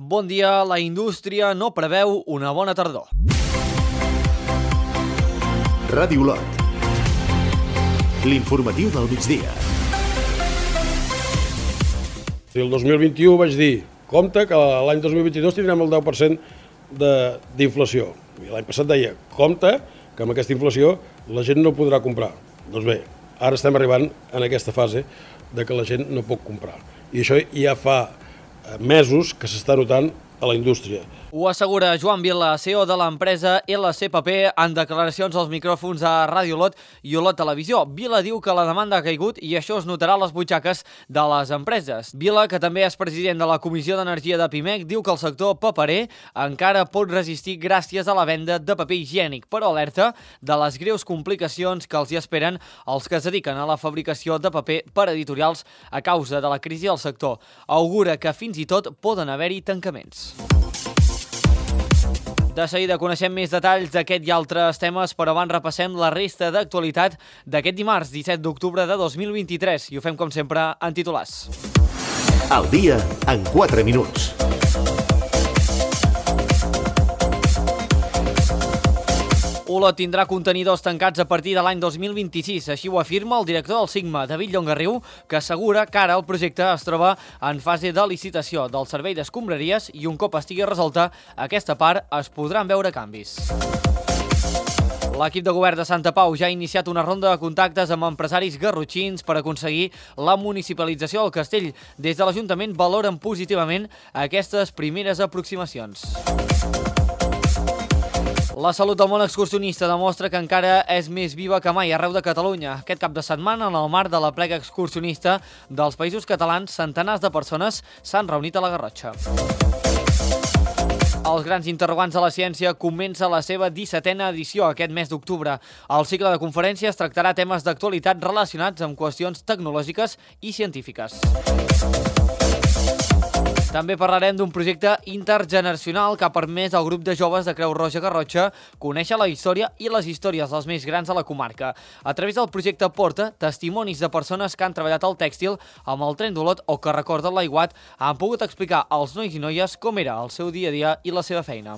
Bon dia, la indústria no preveu una bona tardor. Ràdio Olot. L'informatiu del migdia. El 2021 vaig dir, compte que l'any 2022 tindrem el 10% d'inflació. L'any passat deia, compte que amb aquesta inflació la gent no podrà comprar. Doncs bé, ara estem arribant en aquesta fase de que la gent no pot comprar. I això ja fa mesos que s'està notant a la indústria. Ho assegura Joan Vila, CEO de l'empresa LCPP, en declaracions als micròfons a Ràdio Olot i Olot Televisió. Vila diu que la demanda ha caigut i això es notarà a les butxaques de les empreses. Vila, que també és president de la Comissió d'Energia de Pimec, diu que el sector paperer encara pot resistir gràcies a la venda de paper higiènic, però alerta de les greus complicacions que els hi esperen els que es dediquen a la fabricació de paper per editorials a causa de la crisi del sector. Augura que fins i tot poden haver-hi tancaments. De seguida coneixem més detalls d'aquest i altres temes, però abans repassem la resta d'actualitat d'aquest dimarts, 17 d'octubre de 2023, i ho fem com sempre en titulars. El dia en 4 minuts. Olot tindrà contenidors tancats a partir de l'any 2026, així ho afirma el director del Sigma, David Llongarriu, que assegura que ara el projecte es troba en fase de licitació del servei d'escombraries i un cop estigui resolta aquesta part es podran veure canvis. L'equip de govern de Santa Pau ja ha iniciat una ronda de contactes amb empresaris garrotxins per aconseguir la municipalització del castell. Des de l'Ajuntament valoren positivament aquestes primeres aproximacions. La salut del món excursionista demostra que encara és més viva que mai arreu de Catalunya. Aquest cap de setmana, en el marc de la plega excursionista dels Països Catalans, centenars de persones s'han reunit a la Garrotxa. Els grans interrogants de la ciència comença la seva 17a edició aquest mes d'octubre. El cicle de conferències tractarà temes d'actualitat relacionats amb qüestions tecnològiques i científiques. També parlarem d'un projecte intergeneracional que ha permès al grup de joves de Creu Roja Garrotxa conèixer la història i les històries dels més grans de la comarca. A través del projecte Porta, testimonis de persones que han treballat al tèxtil amb el tren d'Olot o que recorden l'aiguat han pogut explicar als nois i noies com era el seu dia a dia i la seva feina.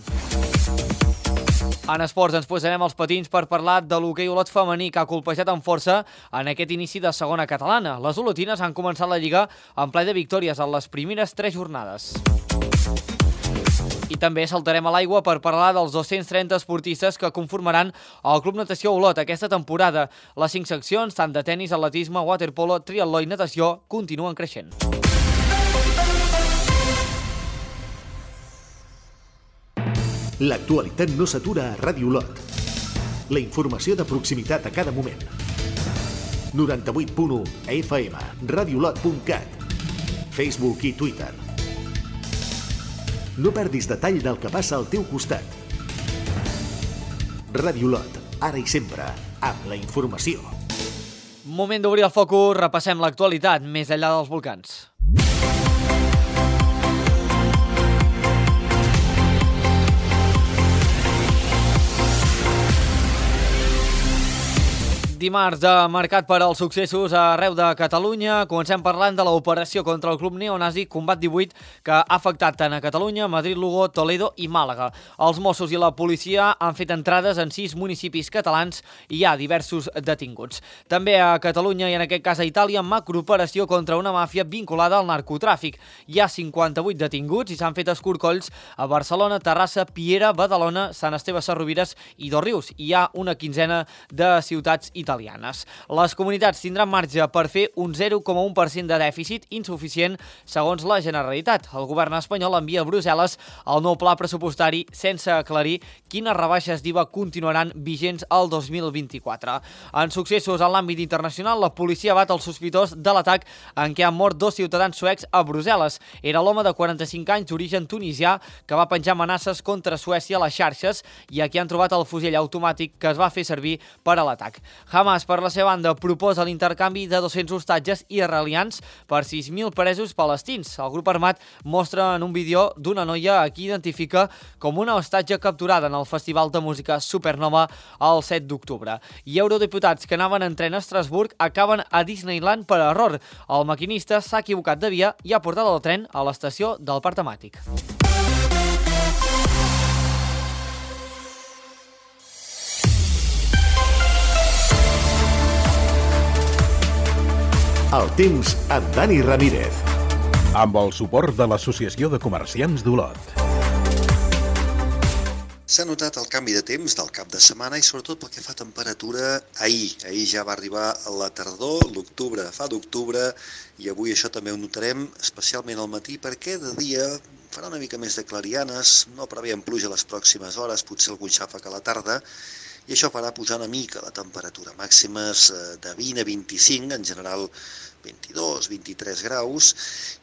En esports ens posarem els patins per parlar de l'hoquei Olot femení que ha colpejat amb força en aquest inici de segona catalana. Les olotines han començat la Lliga en ple de victòries en les primeres 3 jornades. I també saltarem a l'aigua per parlar dels 230 esportistes que conformaran el Club Natació Olot aquesta temporada. Les 5 seccions, tant de tennis, atletisme, waterpolo, triatló i natació, continuen creixent. L'actualitat no s'atura a Ràdio Olot. La informació de proximitat a cada moment. 98.1 FM, radiolot.cat, Facebook i Twitter. No perdis detall del que passa al teu costat. Ràdio Olot, ara i sempre, amb la informació. Moment d'obrir el focus, repassem l'actualitat més enllà dels volcans. Dimarts de mercat per als successos arreu de Catalunya. Comencem parlant de l'operació contra el club neonazi Combat 18 que ha afectat tant a Catalunya, Madrid, Lugo, Toledo i Màlaga. Els Mossos i la policia han fet entrades en 6 municipis catalans i hi ha diversos detinguts. També a Catalunya i en aquest cas a Itàlia, macrooperació contra una màfia vinculada al narcotràfic. Hi ha 58 detinguts i s'han fet escorcolls a Barcelona, Terrassa, Piera, Badalona, Sant Esteve Sesrovires i Dosrius. Hi ha una quinzena de ciutats italianes. Les comunitats tindran marge per fer un 0,1% de dèficit insuficient segons la Generalitat. El govern espanyol envia a Brussel·les el nou pla pressupostari sense aclarir quines rebaixes d'IVA continuaran vigents al 2024. En successos en l'àmbit internacional, la policia bat el sospitós de l'atac en què han mort 2 ciutadans suecs a Brussel·les. Era l'home de 45 anys d'origen tunisià que va penjar amenaces contra Suècia a les xarxes i aquí han trobat el fusell automàtic que es va fer servir per a l'atac. Hamas, per la seva banda, proposa l'intercanvi de 200 hostatges israelians per 6.000 presos palestins. El grup armat mostra en un vídeo d'una noia a qui identifica com una hostatge capturada en el Festival de Música Supernova el 7 d'octubre. I eurodiputats que anaven en tren a Estrasburg acaben a Disneyland per error. El maquinista s'ha equivocat de via i ha portat el tren a l'estació del parc temàtic. El temps amb Dani Ramírez. Amb el suport de l'Associació de Comerciants d'Olot. S'ha notat el canvi de temps del cap de setmana i sobretot pel que fa a temperatura ahir. Ahir ja va arribar la tardor, l'octubre fa d'octubre i avui això també ho notarem especialment al matí perquè de dia farà una mica més de clarianes, no preveiem pluja les pròximes hores, potser algun xàfec a la tarda i això farà pujar una mica la temperatura, màximes de 20 a 25, en general 22, 23 graus,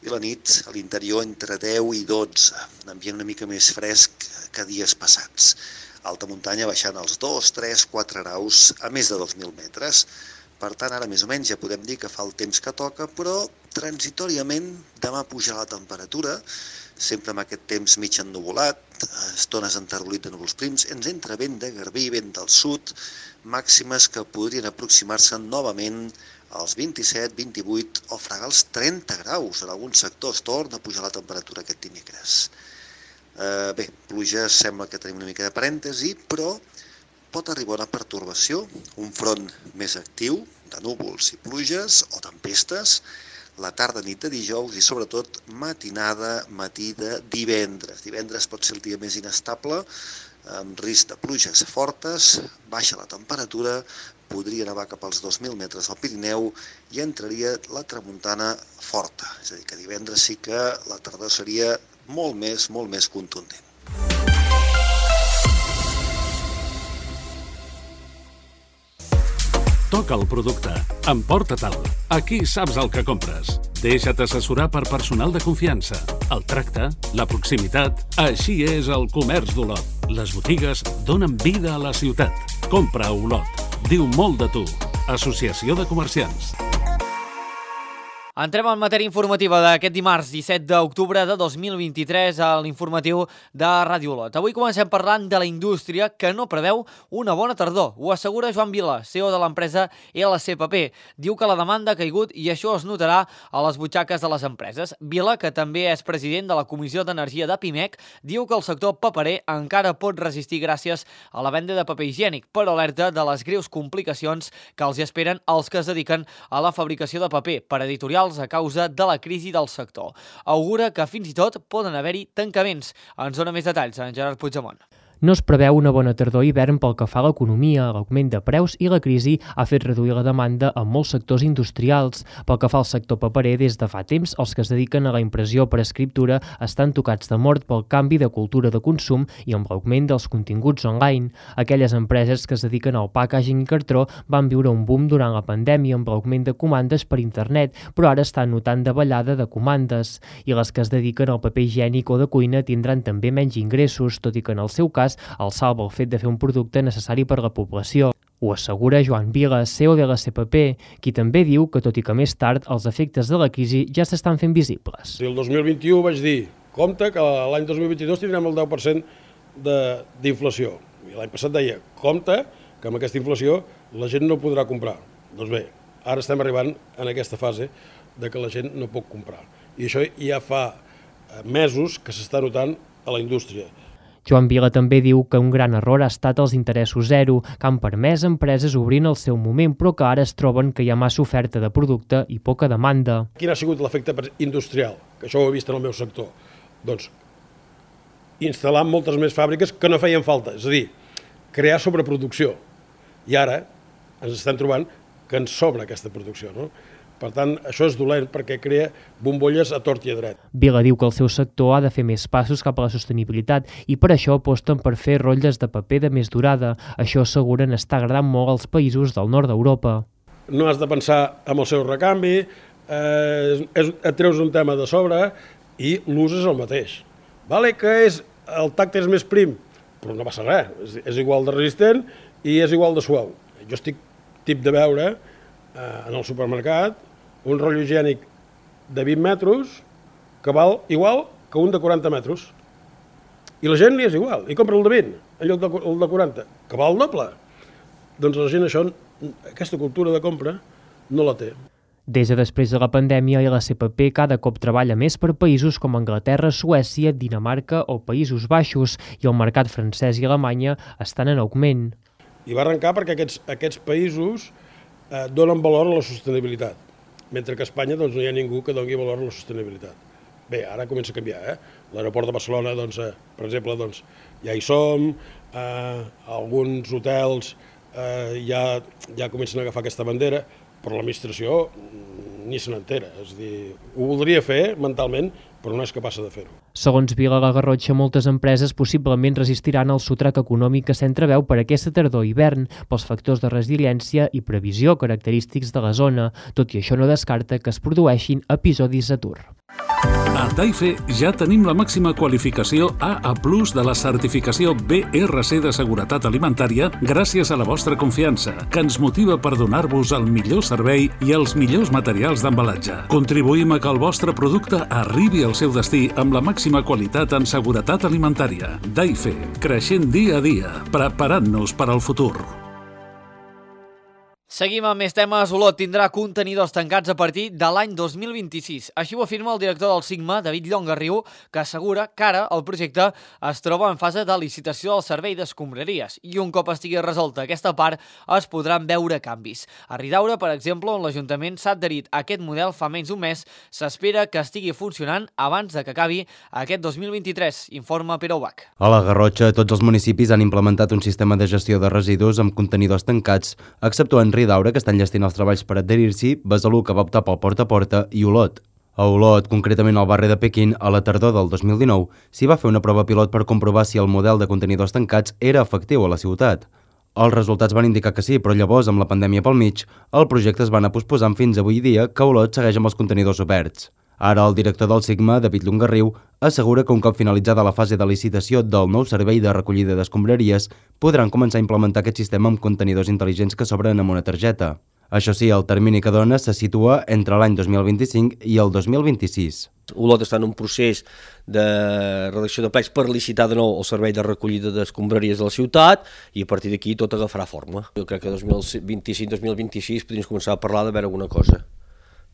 i la nit a l'interior entre 10 i 12, un ambient una mica més fresc que dies passats. Alta muntanya baixant als 2, 3, 4 graus a més de 2.000 metres. Per tant, ara més o menys ja podem dir que fa el temps que toca, però transitoriament demà pujarà la temperatura, sempre amb aquest temps mig ennuvolat, estones enterbolit de núvols prims, ens entra vent de garbí, vent del sud, màximes que podrien aproximar-se novament als 27, 28 o fregar els 30 graus. En alguns sectors torna a pujar la temperatura aquest dimecres. Bé, pluja sembla que tenim una mica de parèntesi, però pot arribar una pertorbació, un front més actiu de núvols i pluges o tempestes, la tarda nit de dijous i sobretot matinada, matí de divendres. Divendres pot ser el dia més inestable, amb risc de pluges fortes, baixa la temperatura, podria nevar cap als 2.000 metres al Pirineu i entraria la tramuntana forta. És a dir, que divendres sí que la tardor seria molt més contundent. Toca el producte. Emporta-te'l. Aquí saps el que compres. Deixa't assessorar per personal de confiança. El tracte, la proximitat... Així és el comerç d'Olot. Les botigues donen vida a la ciutat. Compra a Olot. Diu molt de tu. Associació de Comerciants. Entrem en matèria informativa d'aquest dimarts 17 d'octubre de 2023 a l'informatiu de Ràdio Olot. Avui comencem parlant de la indústria que no preveu una bona tardor. Ho assegura Joan Vila, CEO de l'empresa LCPP. Diu que la demanda ha caigut i això es notarà a les butxaques de les empreses. Vila, que també és president de la Comissió d'Energia de Pimec, diu que el sector paperer encara pot resistir gràcies a la venda de paper higiènic, però alerta de les greus complicacions que els esperen els que es dediquen a la fabricació de paper per editorials a causa de la crisi del sector. Augura que fins i tot poden haver-hi tancaments. Ens dona més detalls en Gerard Puigdemont. No es preveu una bona tardor i hivern pel que fa a l'economia. L'augment de preus i la crisi ha fet reduir la demanda en molts sectors industrials. Pel que fa al sector paperer, des de fa temps, els que es dediquen a la impressió per escriptura estan tocats de mort pel canvi de cultura de consum i amb l'augment dels continguts online. Aquelles empreses que es dediquen al packaging i cartró van viure un boom durant la pandèmia amb l'augment de comandes per internet, però ara estan notant davallada de comandes. I les que es dediquen al paper higiènic o de cuina tindran també menys ingressos, tot i que en el seu cas el salva el fet de fer un producte necessari per a la població. Ho assegura Joan Vila, CEO de la CPP, qui també diu que, tot i que més tard, els efectes de la crisi ja s'estan fent visibles. El 2021 vaig dir, compte que l'any 2022 tindrem el 10% d'inflació. I l'any passat deia, compte que amb aquesta inflació la gent no podrà comprar. Doncs bé, ara estem arribant en aquesta fase de que la gent no pot comprar. I això ja fa mesos que s'està notant a la indústria. Joan Vila també diu que un gran error ha estat els interessos zero, que han permès a empreses obrint el seu moment, però que ara es troben que hi ha massa oferta de producte i poca demanda. Quin ha sigut l'efecte industrial? Que això ho he vist en el meu sector. Doncs instal·lar moltes més fàbriques que no feien falta, és a dir, crear sobreproducció. I ara ens estem trobant que ens sobra aquesta producció, no? Per tant, això és dolent perquè crea bombolles a tort i a dret. Vila diu que el seu sector ha de fer més passos cap a la sostenibilitat i per això aposten per fer rotlles de paper de més durada. Això asseguren està agradant molt als països del nord d'Europa. No has de pensar en el seu recanvi, et treus un tema de sobre i l'ús és el mateix. Vale que el tacte és més prim, però no passa res, és igual de resistent i és igual de suau. Jo estic tip de veure en el supermercat un rotllo higiènic de 20 metres que val igual que un de 40 metres. I la gent li és igual, i compra el de 20 en lloc del de 40, que val el doble. Doncs la gent aquesta cultura de compra no la té. Des de després de la pandèmia, l'SPP cada cop treballa més per països com Anglaterra, Suècia, Dinamarca o Països Baixos, i el mercat francès i Alemanya estan en augment. I va arrencar perquè aquests països donen valor a la sostenibilitat, mentre que a Espanya no hi ha ningú que doni valor a la sostenibilitat. Bé, ara comença a canviar. L'aeroport de Barcelona, per exemple, ja hi som, alguns hotels ja comencen a agafar aquesta bandera, però l'administració ni se n'entera. És a dir, ho voldria fer mentalment, però no és capaç de fer-ho. Segons Vila La Garrotxa, moltes empreses possiblement resistiran al sotrac econòmic que s'entreveu per aquesta tardor i hivern, pels factors de resiliència i previsió característics de la zona. Tot i això, no descarta que es produeixin episodis d'atur. A Taife ja tenim la màxima qualificació AA+ de la certificació BRC de seguretat alimentària gràcies a la vostra confiança, que ens motiva per donar-vos el millor servei i els millors materials d'embalatge. Contribuïm a que el vostre producte arribi al seu destí amb la màxima qualitat en seguretat alimentària. Taife, creixent dia a dia, preparant-nos per al futur. Seguim amb més temes. Olot tindrà contenidors tancats a partir de l'any 2026. Així ho afirma el director del Sigma, David Llongarriu, que assegura que ara el projecte es troba en fase de licitació del servei d'escombraries i un cop estigui resolta aquesta part es podran veure canvis. A Ridaura, per exemple, on l'Ajuntament s'ha adherit a aquest model fa menys d'un mes, s'espera que estigui funcionant abans de que acabi aquest 2023, informa Pere Ubach. A la Garrotxa, tots els municipis han implementat un sistema de gestió de residus amb contenidors tancats, exceptuant Ridaura, que estan llestint els treballs per adherir-s'hi, Besalú, que va optar pel porta a porta, i Olot. A Olot, concretament al barri de Pequín, a la tardor del 2019, s'hi va fer una prova pilot per comprovar si el model de contenidors tancats era efectiu a la ciutat. Els resultats van indicar que sí, però llavors, amb la pandèmia pel mig, el projecte es va anar posposant fins avui dia que Olot segueix amb els contenidors oberts. Ara, el director del Sigma, David Llongarriu, assegura que un cop finalitzada la fase de licitació del nou servei de recollida d'escombraries, podran començar a implementar aquest sistema amb contenidors intel·ligents que s'obren amb una targeta. Això sí, el termini que dona se situa entre l'any 2025 i el 2026. Olot està en un procés de redacció de plecs per licitar de nou el servei de recollida d'escombraries de la ciutat i a partir d'aquí tot agafarà forma. Jo crec que 2025-2026 podríem començar a parlar de veure alguna cosa.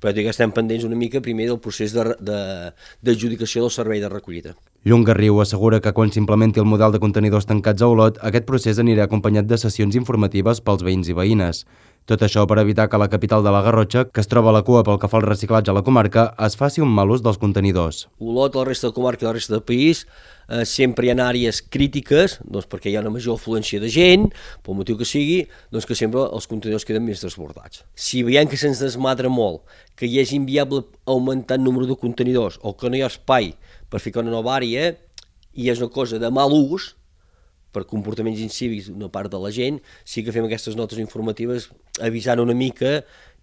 Però que estem pendents una mica primer del procés d'adjudicació del servei de recollida. Llongarriu assegura que quan s'implementi el model de contenidors tancats a Olot, aquest procés anirà acompanyat de sessions informatives pels veïns i veïnes. Tot això per evitar que la capital de la Garrotxa, que es troba a la cua pel que fa al reciclatge a la comarca, es faci un mal ús dels contenidors. Olot, la resta de comarca i la resta del país, sempre hi ha àrees crítiques, doncs perquè hi ha una major afluència de gent, pel motiu que sigui, doncs que sempre els contenidors queden més desbordats. Si veiem que se'ns desmadra molt, que hi és inviable augmentar el número de contenidors o que no hi ha espai per ficar una nova àrea i és una cosa de mal ús, per comportaments incívics d'una part de la gent, sí que fem aquestes notes informatives avisant una mica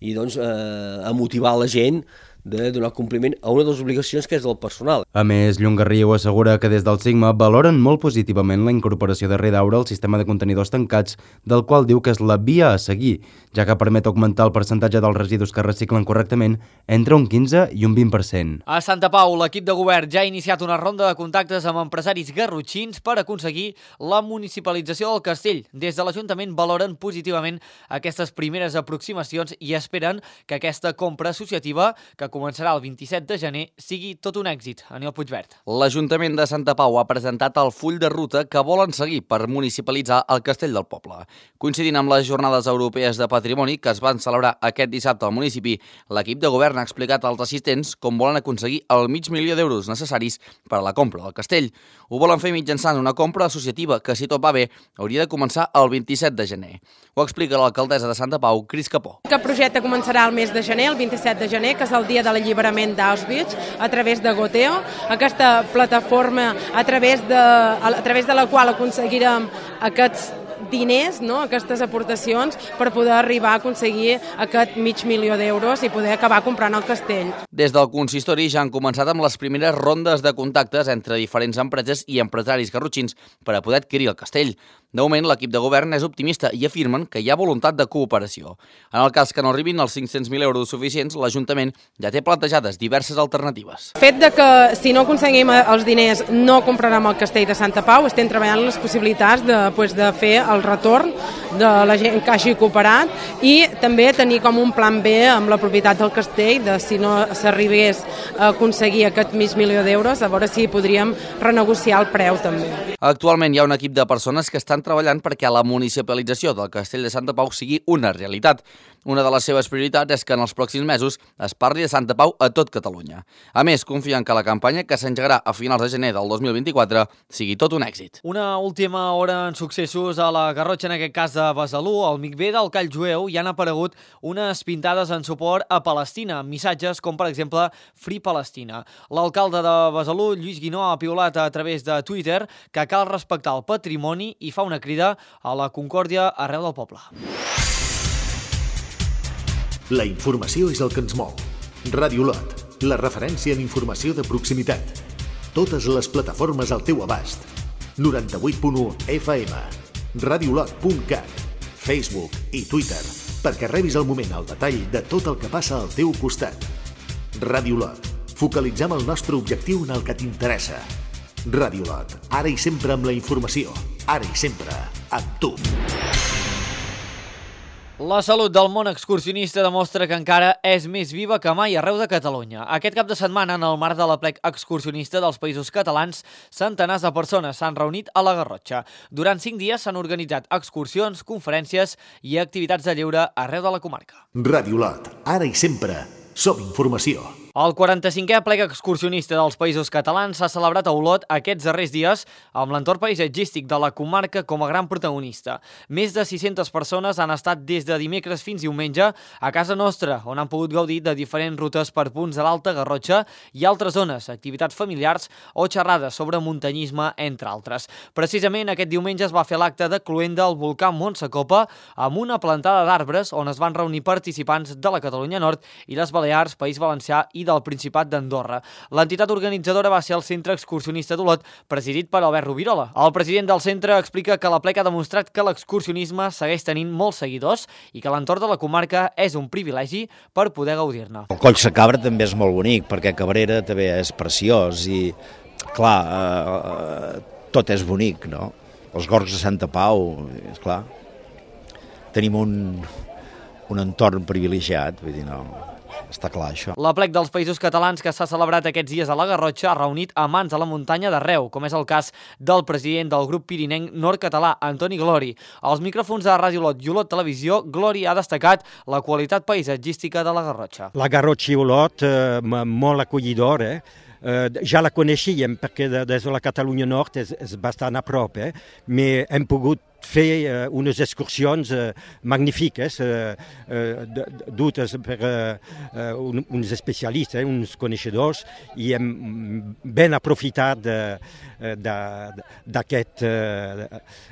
i doncs a motivar la gent de donar compliment a una de les obligacions que és del personal. A més, Llongarriu assegura que des del Sigma valoren molt positivament la incorporació de Ridaura al sistema de contenidors tancats, del qual diu que és la via a seguir, ja que permet augmentar el percentatge dels residus que reciclen correctament entre un 15 i un 20%. A Santa Pau, l'equip de govern ja ha iniciat una ronda de contactes amb empresaris garrotxins per aconseguir la municipalització del castell. Des de l'Ajuntament valoren positivament aquestes primeres aproximacions i esperen que aquesta compra associativa, que començarà el 27 de gener, sigui tot un èxit. Aniol Puigverd. L'Ajuntament de Santa Pau ha presentat el full de ruta que volen seguir per municipalitzar el Castell del Poble. Coincidint amb les Jornades Europees de Patrimoni que es van celebrar aquest dissabte al municipi, l'equip de govern ha explicat als assistents com volen aconseguir el $500.000 d'euros necessaris per a la compra del castell. Ho volen fer mitjançant una compra associativa que, si tot va bé, hauria de començar el 27 de gener. Ho explica l'alcaldessa de Santa Pau, Cris Capó. El projecte començarà el mes de gener, el 27 de gener, que és el dia de l'alliberament d'Auschwitz, a través de Goteo, aquesta plataforma a través de la qual aconseguirem aquests diners, no? Aquestes aportacions per poder arribar a aconseguir aquest $500.000 d'euros i poder acabar comprant el castell. Des del consistori ja han començat amb les primeres rondes de contactes entre diferents empreses i empresaris garrotxins per a poder adquirir el castell. De moment, l'equip de govern és optimista i afirmen que hi ha voluntat de cooperació. En el cas que no arribin els $500.000 suficients, l'Ajuntament ja té plantejades diverses alternatives. El fet de que si no aconseguim els diners no comprarem el castell de Santa Pau, estem treballant les possibilitats de fer el el retorn de la gent que hagi cooperat i també tenir com un plan B amb la propietat del castell, de si no s'arribés a aconseguir aquest mig milió d'euros, a veure si podríem renegociar el preu també. Actualment hi ha un equip de persones que estan treballant perquè la municipalització del Castell de Santa Pau sigui una realitat. Una de les seves prioritats és que en els pròxims mesos es parli de Santa Pau a tot Catalunya. A més, confien que la campanya, que s'engegarà a finals de gener del 2024, sigui tot un èxit. Una última hora en successos a la Garrotxa, en aquest cas de Besalú. Al Micvé del Call Jueu hi han aparegut unes pintades en suport a Palestina, amb missatges com, per exemple, Free Palestina. L'alcalde de Besalú, Lluís Guinó, ha piulat a través de Twitter que cal respectar el patrimoni i fa una crida a la concòrdia arreu del poble. La informació és el que ens mou. Ràdio Lot, la referència en informació de proximitat. Totes les plataformes al teu abast. 98.1 FM, radiolot.cat, Facebook i Twitter, perquè rebis al moment el detall de tot el que passa al teu costat. Ràdio Lot, focalitzem el nostre objectiu en el que t'interessa. Ràdio Lot, ara i sempre amb la informació, ara i sempre amb tu. La salut del món excursionista demostra que encara és més viva que mai arreu de Catalunya. Aquest cap de setmana, en el marc de l'Aplec Excursionista dels Països Catalans, centenars de persones s'han reunit a la Garrotxa. Durant 5 dies s'han organitzat excursions, conferències i activitats de lleure arreu de la comarca. Ràdio Lot, ara i sempre, som informació. El 45è Aplec Excursionista dels Països Catalans s'ha celebrat a Olot aquests darrers dies amb l'entorn paisatgístic de la comarca com a gran protagonista. Més de 600 persones han estat des de dimecres fins diumenge a casa nostra, on han pogut gaudir de diferents rutes per punts de l'Alta Garrotxa i altres zones, activitats familiars o xerrades sobre muntanyisme, entre altres. Precisament aquest diumenge es va fer l'acte de cloenda al volcà Montsecopa amb una plantada d'arbres on es van reunir participants de la Catalunya Nord i les Balears, País Valencià i del Principat d'Andorra. L'entitat organitzadora va ser el Centre Excursionista d'Olot, presidit per Albert Rovirola. El president del centre explica que l'Aplec ha demostrat que l'excursionisme segueix tenint molts seguidors i que l'entorn de la comarca és un privilegi per poder gaudir-ne. El Coll Sacabra també és molt bonic, perquè Cabrera també és preciós i, clar, tot és bonic, no? Els Gorgs de Santa Pau, esclar, tenim un entorn privilegiat, vull dir, no... Està clar, això. L'Aplec dels Països Catalans que s'ha celebrat aquests dies a la Garrotxa ha reunit amants de la muntanya d'arreu, com és el cas del president del grup pirinenc nord-català, Antoni Glori. Als micròfons de Ràdio Olot i Olot Televisió, Glori ha destacat la qualitat paisatgística de la Garrotxa. La Garrotxa i Olot, molt acollidora, ja la coneixíem perquè des de la Catalunya Nord és bastant a prop, però hem pogut fer unes excursions magnífiques dutes per uns especialistes, uns coneixedors, i hem ben aprofitat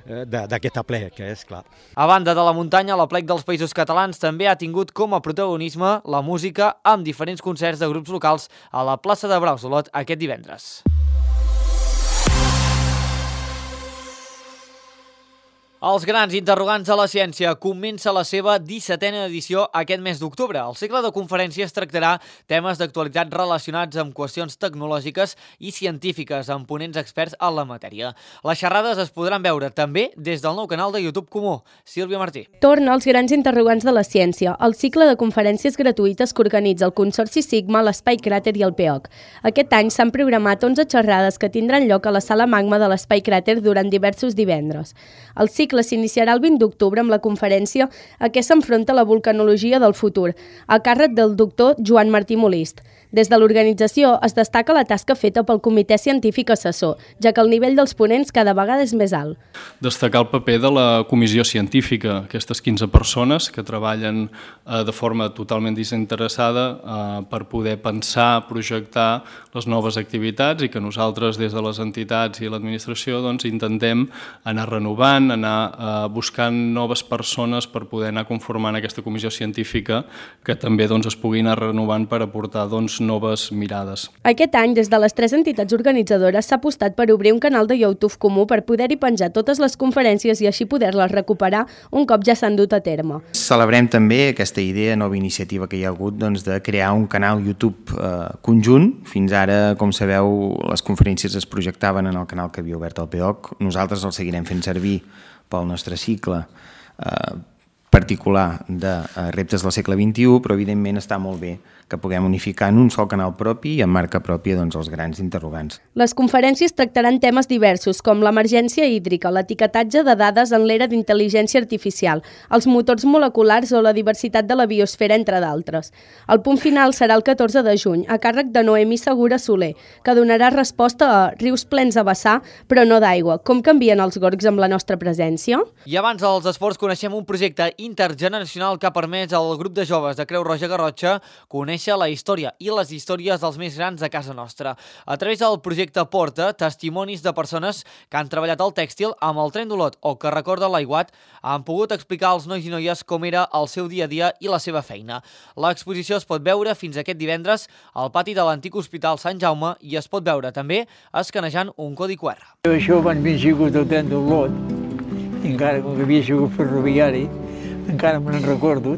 d'aquest aplec, és clar. A banda de la muntanya, l'Aplec dels Països Catalans també ha tingut com a protagonisme la música amb diferents concerts de grups locals a la plaça de Braus d'Olot aquest divendres. Els grans interrogants de la ciència comença la seva 17a edició aquest mes d'octubre. El cicle de conferències tractarà temes d'actualitat relacionats amb qüestions tecnològiques i científiques amb ponents experts en la matèria. Les xerrades es podran veure també des del nou canal de YouTube comú. Sílvia Martí. Torna als grans interrogants de la ciència, el cicle de conferències gratuïtes que organitza el Consorci Sigma, l'Espai Cràter i el PEOC. Aquest any s'han programat 11 xerrades que tindran lloc a la Sala Magma de l'Espai Cràter durant diversos divendres. El cicle s'iniciarà el 20 d'octubre amb la conferència a què s'enfronta la vulcanologia del futur, a càrrec del doctor Joan Martí Molist. Des de l'organització es destaca la tasca feta pel Comitè Científic Assessor, ja que el nivell dels ponents cada vegada és més alt. Destacar el paper de la comissió científica, aquestes 15 persones que treballen de forma totalment desinteressada per poder pensar, projectar les noves activitats i que nosaltres des de les entitats i l'administració intentem anar renovant, anar buscant noves persones per poder anar conformant aquesta comissió científica que també es pugui anar renovant per aportar noves mirades. Aquest any, des de les 3 entitats organitzadores, s'ha apostat per obrir un canal de YouTube comú per poder-hi penjar totes les conferències i així poder-les recuperar un cop ja s'han dut a terme. Celebrem també aquesta idea, nova iniciativa que hi ha hagut de crear un canal YouTube conjunt. Fins ara, com sabeu, les conferències es projectaven en el canal que havia obert el PEOC. Nosaltres el seguirem fent servir pel nostre cicle particular de reptes del segle XXI, però evidentment està molt bé que puguem unificar en un sol canal propi i en marca pròpia els grans interrogants. Les conferències tractaran temes diversos com l'emergència hídrica, l'etiquetatge de dades en l'era d'intel·ligència artificial, els motors moleculars o la diversitat de la biosfera, entre d'altres. El punt final serà el 14 de juny, a càrrec de Noemí Segura Soler, que donarà resposta a rius plens a vessar, però no d'aigua. Com canvien els gorgs amb la nostra presència? I abans dels esports coneixem un projecte intergeneracional que ha permès al grup de joves de Creu Roja Garrotxa conèixer la història i les històries dels més grans de casa nostra. A través del projecte Porta, testimonis de persones que han treballat al tèxtil amb el tren d'Olot o que recorden l'aiguat han pogut explicar als nois i noies com era el seu dia a dia i la seva feina. L'exposició es pot veure fins aquest divendres al pati de l'antic Hospital Sant Jaume i es pot veure també escanejant un codi QR. Això quan havia sigut el tren d'Olot, encara com que havia sigut ferroviari, encara me n'en recordo,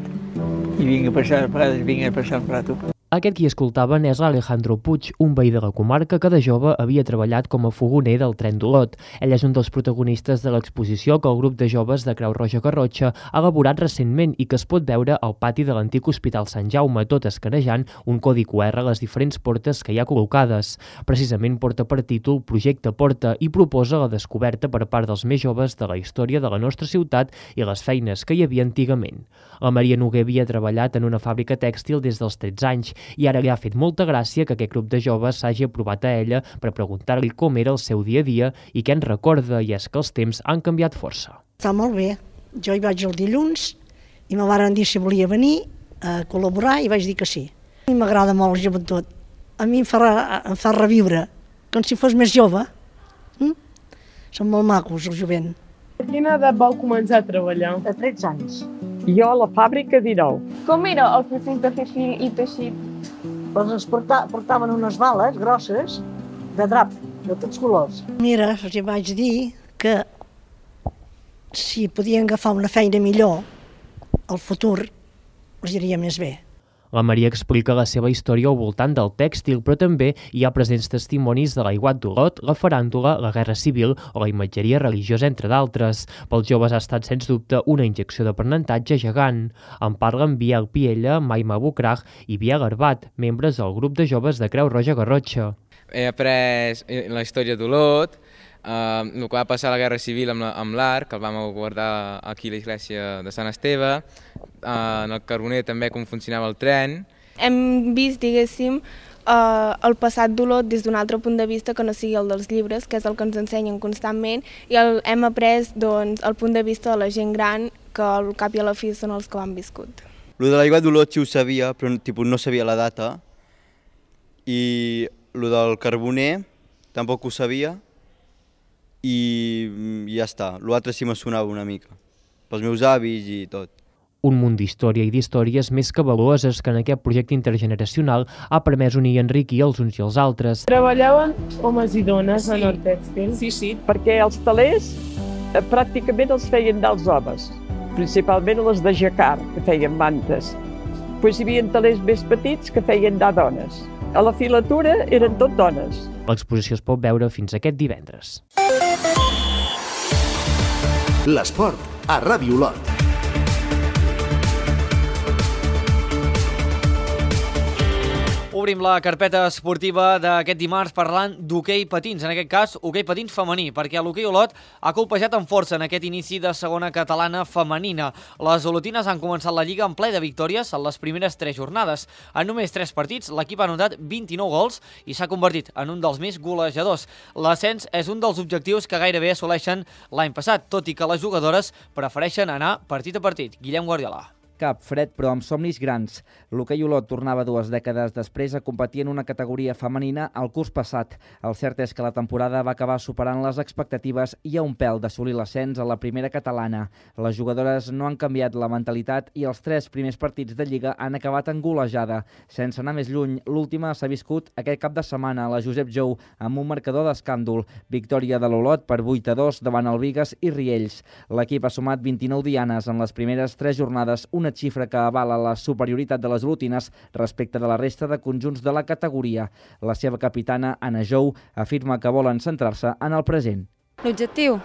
i vinc a passar, a vegades vinc a passar un rato. Aquest qui escoltaven és l'Alejandro Puig, un veí de la comarca que de jove havia treballat com a fogoner del tren d'Olot. Ell és un dels protagonistes de l'exposició que el grup de joves de Creu Roja Garrotxa ha elaborat recentment i que es pot veure al pati de l'antic Hospital Sant Jaume, tot escanejant un codi QR a les diferents portes que hi ha col·locades. Precisament porta per títol Projecte Porta i proposa la descoberta per part dels més joves de la història de la nostra ciutat i les feines que hi havia antigament. La Maria Noguer havia treballat en una fàbrica tèxtil des dels 13 anys i ara li ha fet molta gràcia que aquest grup de joves s'hagi aprovat a ella per preguntar-li com era el seu dia a dia i què en recorda, i és que els temps han canviat força. Està molt bé. Jo hi vaig el dilluns i me van dir si volia venir a col·laborar i vaig dir que sí. A mi m'agrada molt la joventut. A mi em fa reviure, com si fos més jove. Són molt macos, el jovent. A quina edat vau començar a treballar? A 13 anys. Jo a la fàbrica 19. Com era el procés de fer fil i teixit? Doncs ens portaven unes bales grosses de drap, de tots colors. Mira, els vaig dir que si podien agafar una feina millor, el futur els iria més bé. La Maria explica la seva història al voltant del tèxtil, però també hi ha presents testimonis de l'aiguat d'Olot, la faràndula, la guerra civil o la imatgeria religiosa, entre d'altres. Pels joves ha estat, sens dubte, una injecció d'aprenentatge gegant. En parlen Biel Piella, Maima Bucrag i Biel Arbat, membres del grup de joves de Creu Roja Garrotxa. He après la història d'Olot, el que va passar a la Guerra Civil amb l'art, que el vam guardar aquí a l'església de Sant Esteve, en el Carboner també com funcionava el tren. Hem vist, diguéssim, el passat d'Olot des d'un altre punt de vista que no sigui el dels llibres, que és el que ens ensenyen constantment, i hem après el punt de vista de la gent gran, que al cap i a la fi són els que ho han viscut. Lo de l'aiguat d'Olot sí ho sabia, però no sabia la data, i lo del Carboner tampoc ho sabia, i ja està. L'altre sí me sonava una mica, pels meus avis i tot. Un munt d'història i d'històries més que valuoses que en aquest projecte intergeneracional ha permès unir i enriquir els uns i els altres. Treballaven homes i dones en el tèxtil? Sí, perquè els telers pràcticament els feien dels homes, principalment les de jacquard, que feien mantes. Després hi havia telers més petits que feien de dones. A la filatura eren tot dones. L'exposició es pot veure fins aquest divendres. L'esport a Ràdio Olot. Obrim la carpeta esportiva d'aquest dimarts parlant d'hoquei patins, en aquest cas hoquei patins femení, perquè l'hoquei Olot ha colpejat amb força en aquest inici de segona catalana femenina. Les olotines han començat la lliga en ple de victòries en les primeres 3 jornades. En només 3 partits, l'equip ha anotat 29 gols i s'ha convertit en un dels més golejadors. L'ascens és un dels objectius que gairebé assoleixen l'any passat, tot i que les jugadores prefereixen anar partit a partit. Guillem Guardiola. Cap fred, però amb somnis grans. L'hoquei Olot tornava 2 dècades després a competir en una categoria femenina el curs passat. El cert és que la temporada va acabar superant les expectatives i a un pèl d'assolir l'ascens a la primera catalana. Les jugadores no han canviat la mentalitat i els 3 primers partits de Lliga han acabat en golejada. Sense anar més lluny, l'última s'ha viscut aquest cap de setmana a la Josep Jou amb un marcador d'escàndol. Victòria de l'Olot per 8-2 davant el Bigues i Riells. L'equip ha sumat 29 dianes en les primeres 3 jornades, una xifra que avala la superioritat de les olotines respecte de la resta de conjunts de la categoria. La seva capitana, Anna Jou, afirma que volen centrar-se en el present. L'objectiu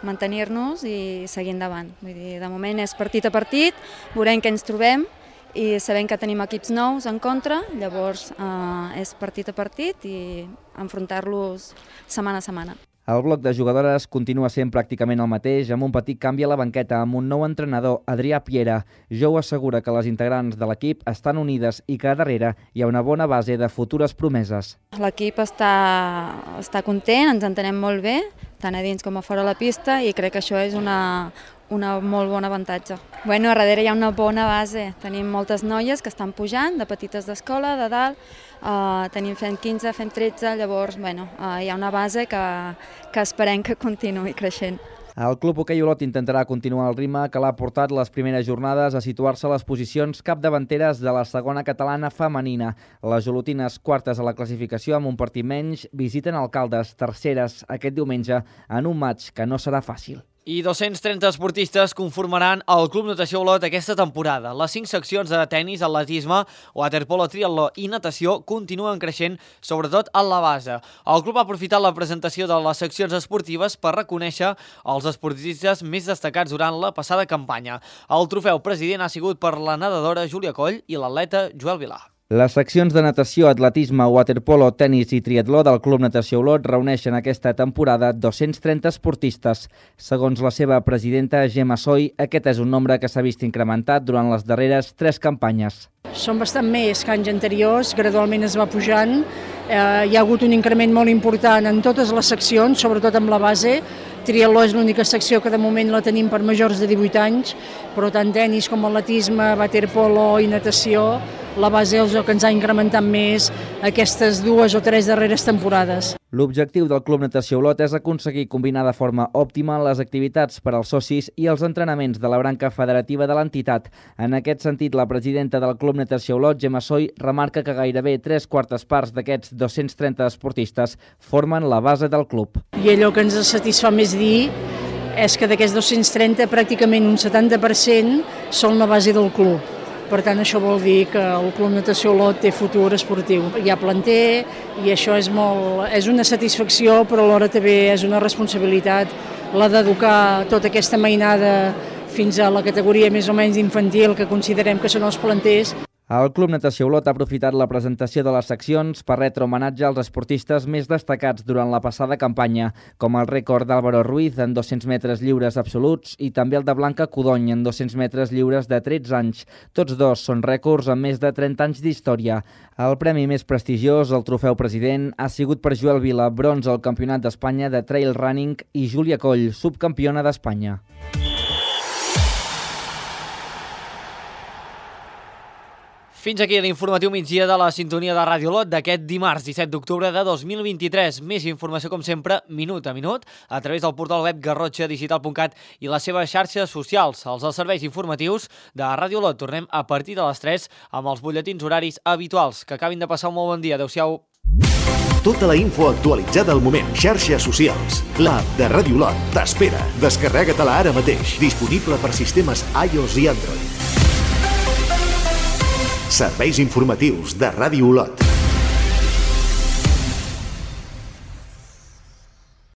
mantenir-nos i seguir endavant. Vull dir, de moment és partit a partit, veurem què ens trobem i sabem que tenim equips nous en contra, llavors és partit a partit i enfrontar-los setmana a setmana. El bloc de jugadores continua sent pràcticament el mateix, amb un petit canvi a la banqueta, amb un nou entrenador, Adrià Piera. Jou assegura que les integrants de l'equip estan unides i que a darrere hi ha una bona base de futures promeses. L'equip està content, ens entenem molt bé, tant a dins com a fora la pista, i crec que això és una molt bon avantatge. A darrere hi ha una bona base. Tenim moltes noies que estan pujant, de petites d'escola, de dalt, tenim fent 15, fent 13, llavors hi ha una base que esperem que continuï creixent. El Club Hoquei Olot intentarà continuar el ritme que l'ha portat les primeres jornades a situar-se a les posicions capdavanteres de la segona catalana femenina. Les olotines, quartes a la classificació amb un partit menys, visiten Alcaldes, terceres, aquest diumenge, en un maig que no serà fàcil. I 230 esportistes conformaran el Club Natació Olot aquesta temporada. Les 5 seccions de tennis, atletisme, waterpolo, triatló i natació continuen creixent, sobretot a la base. El club ha aprofitat la presentació de les seccions esportives per reconèixer els esportistes més destacats durant la passada campanya. El trofeu president ha sigut per la nedadora Júlia Coll i l'atleta Joel Vilà. Les seccions de natació, atletisme, waterpolo, tenis i triatló del Club Natació Olot reuneixen aquesta temporada 230 esportistes. Segons la seva presidenta, Gemma Soy, aquest és un nombre que s'ha vist incrementat durant les darreres 3 campanyes. Són bastant més que anys anteriors, gradualment es va pujant. Hi ha hagut un increment molt important en totes les seccions, sobretot amb la base. Triatló és l'única secció que de moment la tenim per majors de 18 anys, però tant tenis com atletisme, waterpolo i natació, la base és el que ens ha incrementat més aquestes 2 o 3 darreres temporades. L'objectiu del Club Natació Olot és aconseguir combinar de forma òptima les activitats per als socis i els entrenaments de la branca federativa de l'entitat. En aquest sentit, la presidenta del Club Natació Olot, Gemma Soy, remarca que gairebé 3/4 parts d'aquests 230 esportistes formen la base del club. I allò que ens satisfà més dir és que d'aquests 230, pràcticament un 70% són la base del club. Per tant, això vol dir que el Club Natació Olot té futur esportiu. Hi ha planter i això és una satisfacció, però alhora també és una responsabilitat la d'educar tota aquesta mainada fins a la categoria més o menys infantil que considerem que són els planters. El Club Natació Olot ha aprofitat la presentació de les seccions per retre homenatge als esportistes més destacats durant la passada campanya, com el rècord d'Álvaro Ruiz en 200 metres lliures absoluts i també el de Blanca Codony en 200 metres lliures de 13 anys. Tots dos són rècords amb més de 30 anys d'història. El premi més prestigiós, el trofeu president, ha sigut per Joel Vilà, bronze al Campionat d'Espanya de Trail Running, i Júlia Coll, subcampiona d'Espanya. Fins aquí l'informatiu migdia de la sintonia de Ràdio Olot d'aquest dimarts 17 d'octubre de 2023. Més informació, com sempre, minut a minut, a través del portal web garrotxadigital.cat i les seves xarxes socials. Els serveis informatius de Ràdio Olot. Tornem a partir de les 3 amb els butlletins horaris habituals. Que acabin de passar un molt bon dia. Adéu-siau. Tota la info actualitzada al moment. Xarxes socials. L'app de Ràdio Olot t'espera. Descarrega-te-la ara mateix. Disponible per sistemes iOS i Android. Serveis informatius de Ràdio Olot.